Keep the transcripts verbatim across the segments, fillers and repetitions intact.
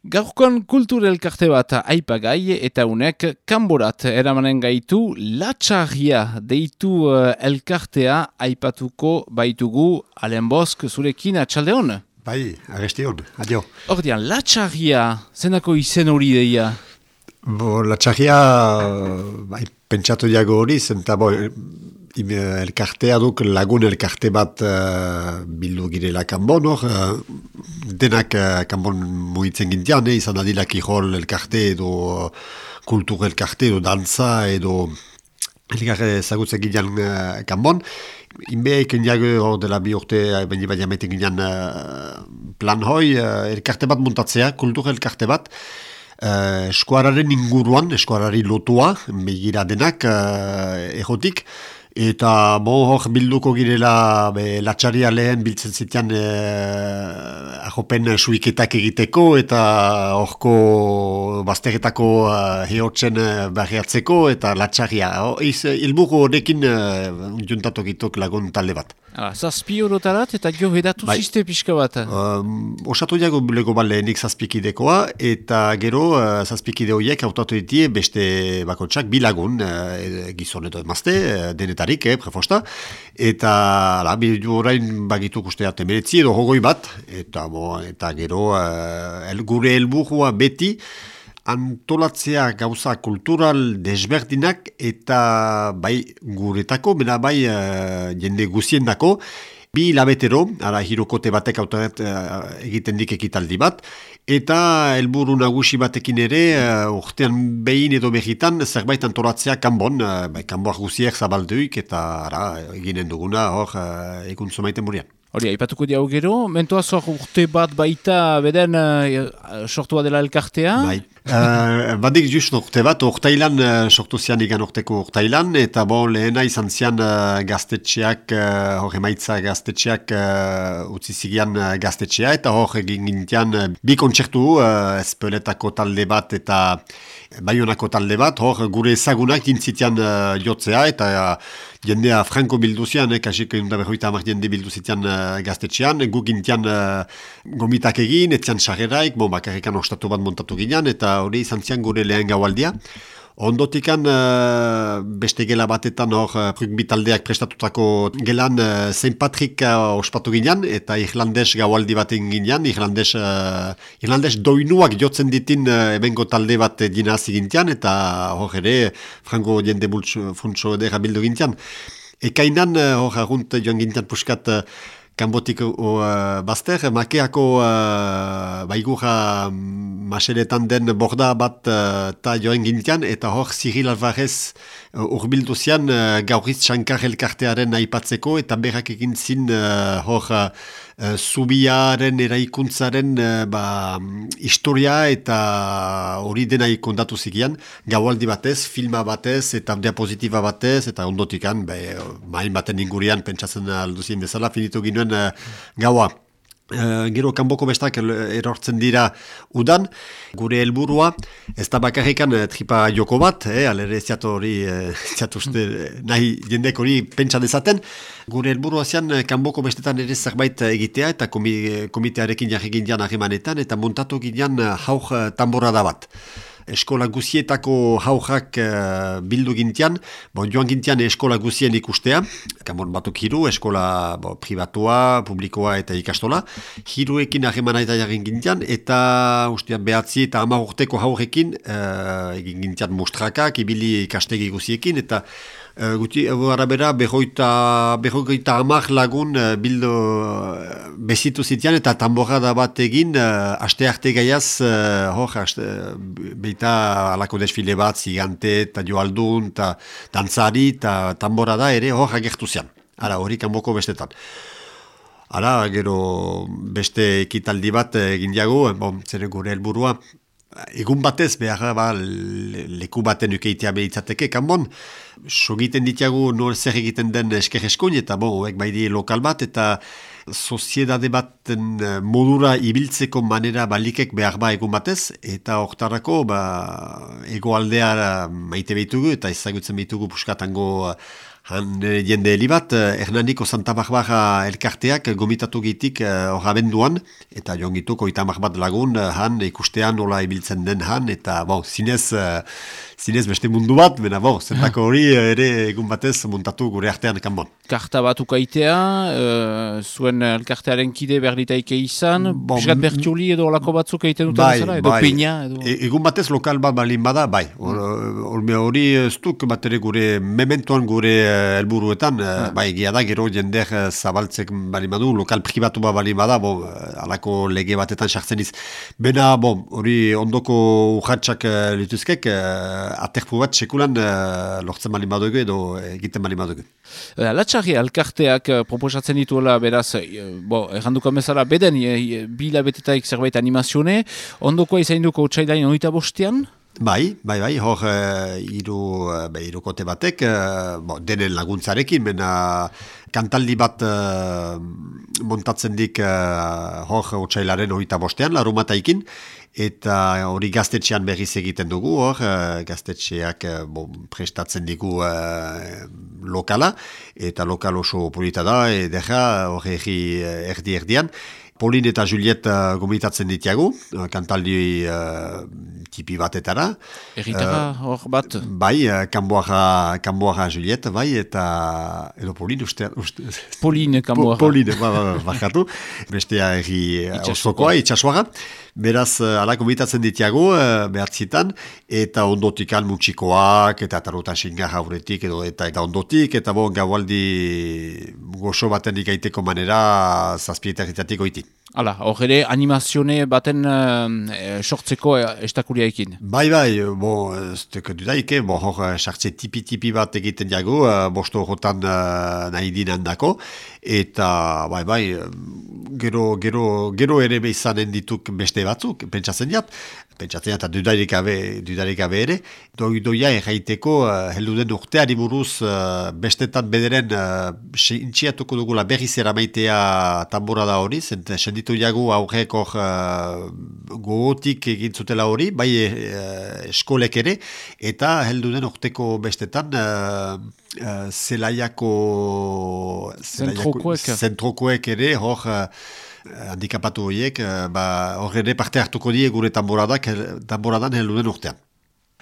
Gaurkoan kultur elkarte bat aipagai eta unek kanborat eramanen gaitu latxarria deitu uh, elkartea aipatuko baitugu. Alen Bosk, zurekin atxaldeon? Bai, agestion, adio. Ordean, latxarria, zenako izen hori deia? Bo, latxarria, bai, pentsatu diago hori, zenta bo, elkartea duk lagun elkarte bat uh, bildu girela kanbon, hor, uh, denak uh, kanbon mugitzen gintian, eh, izan adila kirol elkarte edo uh, kultur elkarte edo dantza edo elkarte zagutzen gintian uh, kanbon. Inbeek indiago hor dela bi urte, baina baina meten gintian uh, plan hoi, uh, elkarte bat montatzea, kultur elkarte bat, Uh, eskuararen inguruan, eskuarari lotua, begira denak, uh, egotik, eta bon, hor bilduko girela be, latxaria lehen biltzen zitean uh, ahopen suiketak egiteko, eta horko bazteretako uh, heotzen uh, barriatzeko, eta latxaria. Ilburu horrekin uh, juntatok lagun talde bat. Ah, zazpi horotarat eta jo edatu bai. Ziste pixka bat. Um, osatu diago bulego bat lehenik zazpikidekoa, eta gero uh, zazpikide horiek hautatu ditie beste bakotsak bilagun, uh, gizon edo emazte, uh, denetarik, eh, prefosta, eta ala, bidu orain bagituk usteat emeretzi edo hogoi bat, eta, bo, eta gero uh, el, gure helburua beti, antolatzea gauza kultural desberdinak eta bai guretako, bena bai uh, jende guziendako, bi labetero, ara hirokote batek autoret uh, egiten dik ekitaldi bat, eta helburu nagusi batekin ere, uh, urtean behin edo behitan, zerbait antolatzea kanbon, uh, bai, kanboak guziek zabalduik, eta ara, eginen duguna, hor, uh, egun zomaiten burian. Hori, aipatuko diau gero, mentoaz hor urte bat baita beden uh, sortua dela elkartea? Bai. Uh, badik just urte bat, urtailan uh, sortu zian igan urteko urtailan, eta bon, lehena izan zian uh, gaztetxeak, uh, hor emaitza gaztetxeak uh, utzi zigian uh, gaztetxea, eta hor egin gintian uh, bi kontzertu, uh, espeletako talde bat eta Baionako talde bat, hor gure ezagunak dintzitian uh, jotzea, eta uh, jendea franko bilduzian, eh, kasik egun da berroita amak jende bilduzitian uh, gaztetxean, gu gintian uh, gomitak egin, etzian sarreraik, bon, bakarrikan ostatu bat montatu ginean, eta hori izan zian gure lehen gaualdia. Ondotikan uh, beste gela batetan hor uh, rugby taldeak prestatutako gelan uh, Saint Patrick uh, ospatu ginean, eta Irlandes gaualdi baten ginean, Irlandes, uh, Irlandes doinuak jotzen ditin uh, ebengo talde bat dina hasi gintian, eta hor ere frango jende bultsu funtso edera bildu gintian. Ekainan hor uh, agunt joan gintian puskat uh, kanbotik uh, bazter, makeako uh, baigura maseretan den borda bat uh, ta joen gintian, eta hor Cyril Alvarez uh, urbildu zian uh, gauriz Shankar elkartearen aipatzeko, eta berrak egin zin uh, hor uh, zubiaren eraikuntzaren uh, ba, historia eta hori dena ikondatu zigian, gaualdi batez, filma batez, eta diapositiba batez, eta ondotikan, be, main baten ingurian pentsatzen alduzien bezala, finitu ginuen uh, gaua. Uh, gero kanboko bestak erortzen dira udan, gure helburua ez da bakarrikan uh, tripa joko bat, eh, alere ziatu hori, uh, ziatu uste, nahi jendek hori pentsa dezaten, gure helburua zian uh, kanboko bestetan ere zerbait egitea, eta komi, komitearekin jarri gindian harremanetan, eta montatu gindian uh, haur uh, tamborada bat. Eskola guzietako haurrak uh, bildu gintian, bon, joan gintian eskola guzien ikustea, kanbon batuk hiru, eskola bo, privatua, publikoa eta ikastola, hiruekin harremana eta jarrin gintian, eta ustean behatzi eta hamar urteko haurrekin uh, egin gintian mustrakak, ibili ikastegi guziekin, eta Uh, guti, arabera, berroita, berroita hamar lagun uh, bildo uh, bezitu zitian eta tamborada bat egin uh, aste arte gaiaz, uh, hor, aste, beita alako desfile bat, zigante, eta joaldun, eta dantzari, eta tamborada ere hor agertu zian. Ara, hori kanboko bestetan. Ara, gero beste ekitaldi bat egin diago, bon, zer gure helburua, egun batez, behar ba, leku baten ukeitea behitzateke, kanbon, sogiten ditiagu nor zer egiten den esker eskoin, eta bo, hoek baidi lokal bat, eta soziedade baten modura ibiltzeko manera balikek behar ba egun batez, eta hortarako ba, egoaldea maite behitugu, eta ezagutzen behitugu puskatango Han eh, jende heli bat, eh, Hernaniko Santa Barbara elkarteak gomitatu gitik hor eh, abenduan, eta joan gituko itamak bat lagun, eh, han ikustean nola ibiltzen den han, eta bon, zinez, eh, zinez beste mundu bat, bena bon, zentako hori eh, ere egun batez montatu gure artean kanbon. Karta bat ukaitea, uh, zuen elkartearen kide berditaike izan, Bon, piskat bertiuli edo olako batzuk egiten duten bai, bezala, edo bai. peina, edo... E, egun batez lokal bat balin bada, bai. Hor hori ez duk bat ere gure mementoan gure uh, helburuetan, uh, bai, egia da, gero jender uh, zabaltzek balin badu, lokal pribatu bat balin bada, bon, uh, alako lege batetan sartzen iz. Bena, bon, hori ondoko urratxak uh, lituzkek, uh, aterpu bat sekulan uh, lortzen balin badugu edo egiten balin badugu. Uh, Latxarri elkarteak uh, proposatzen dituela, beraz, uh, bo, erranduko bezala, beden, uh, bi labetetaik zerbait animazione, ondoko izain duko txailain oita bostean? Bai, bai, bai, hor uh, iru, uh, be, irukote batek, uh, bo, denen laguntzarekin, bena kantaldi bat uh, montatzen dik uh, hor otsailaren oita bostean, larumataikin, eta hori gaztetxean berriz egiten dugu, hor uh, gaztetxeak uh, bon, prestatzen digu uh, lokala, eta lokal oso polita da, edera hor erdi erdian. Pauline eta Juliet uh, gomitatzen ditiagu, uh, kantaldi uh, tipi batetara. Erritara hor uh, bat? Bai, uh, kanboara, kanboara Juliet, bai, eta edo Pauline uste... uste Pauline kanboara. Pauline, ba, ba, bakatu. Bestea erri osokoa, itxasuara. Beraz, uh, ala gomitatzen ditiagu, uh, behatzitan, eta ondotik almutxikoak, eta tarotan xingar hauretik, edo, eta, eta ondotik, eta bon, gaualdi goxo baten ikaiteko manera zazpietarritatik oiti. Hala, hor ere animazione baten uh, sortzeko estakuriaekin. Bai, bai, bo, ez teko dudaike, bo, hor sartze tipi-tipi bat egiten jago, uh, bosto horretan uh, nahi dinan dako, eta, bai, bai, gero, gero, gero ere behizanen dituk beste batzuk, pentsatzen jat, pentsatzen jat, eta dudarik gabe, dudarik gabe ere, doi doia erraiteko, uh, heldu den urteari buruz, uh, bestetan bederen, uh, intxiatuko dugula berriz eramaitea tambora da hori, zent, senditu jagu aurrek hor uh, gogotik egin zutela hori, bai uh, eskolek ere, eta heldu den urteko bestetan, uh, uh, zelaiako zentrokoek zentrokoek ere, hor uh, handikapatu horiek, uh, ba, hor ere parte hartuko die gure tamboradak, tamboradan heldu den urtean.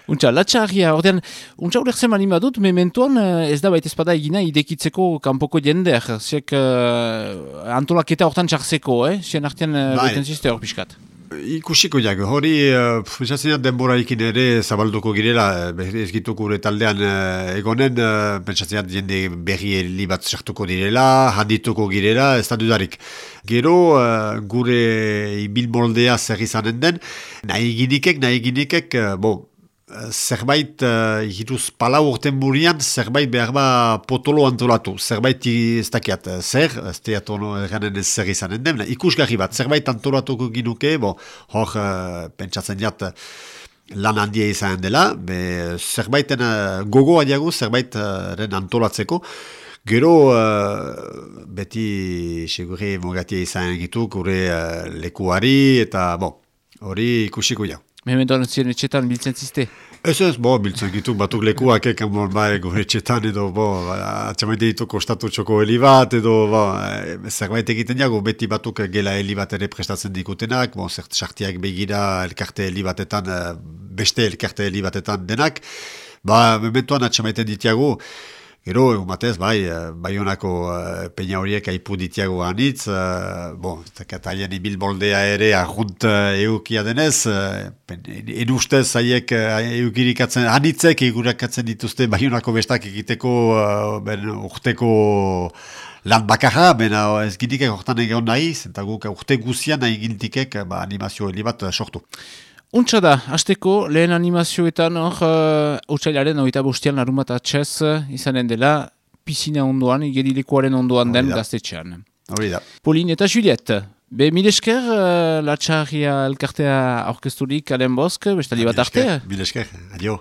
Untxa, latxarria, ordean, untxa urertzen mani badut, mementoan ez da baita espada egina idekitzeko kanpoko jender, ziek uh, antolaketa hortan txarzeko, eh? Zien artean uh, beten zizte hor pixkat. Ikusiko jak, hori uh, denbora ikin ere zabalduko girela, ez gitu gure taldean uh, egonen, uh, pentsatzen jende berri heli bat sartuko direla, handituko girela, ez da dudarik. Gero uh, gure ibilmoldea zer izanen den, nahi ginikek, nahi ginikek, uh, bon, zerbait uh, hiruz palau urten burian, zerbait behar ba potolo antolatu, zerbait ez dakiat, zer, ez teat ono eranen ez zer izanen den, ikusgarri bat, zerbait antolatuko ginuke, bo, hor uh, pentsatzen jat lan handia izanen dela, be, zerbaiten uh, gogoa diagu, zerbaitaren uh, antolatzeko, gero uh, beti segure mugatia izan gitu, gure uh, lekuari, eta bo, hori ikusiko jau. Mementoan ziren etxetan biltzen zizte? Ez ez, bo, biltzen gitu, batuk lekuak ekan bon, bai, gure etxetan edo, bo, atxamaite ditu kostatu txoko heli bat, edo, bo, zerbait egiten jago, beti batuk gela heli bat ere prestatzen dikutenak, bo, zert sartiak begira elkarte heli batetan, beste elkarte heli batetan denak, ba, mementoan atxamaiten ditiago, gero, egun batez, bai, Baionako uh, peina horiek aipu ditiago anitz, uh, bon, katalien ibilboldea ere arrunt uh, eukia denez, uh, en ustez haiek uh, eukirikatzen, anitzek egurakatzen dituzte Baionako bestak egiteko uh, ben, urteko lan bakarra, bena ez gintikek hortan egon nahi, zenta guk urte guzian nahi gintikek ba, animazio heli bat uh, sortu. Untsa da, hasteko lehen animazioetan hor uh, otsailaren oita bostean larun bat atxez izanen dela pisina ondoan, igerilekuaren ondoan den gaztetxean. Hori da. Pauline eta Juliet, be milesker uh, latxarria elkartea aurkezturik Alen Bosk, bestali bat arte? Milesker, adio.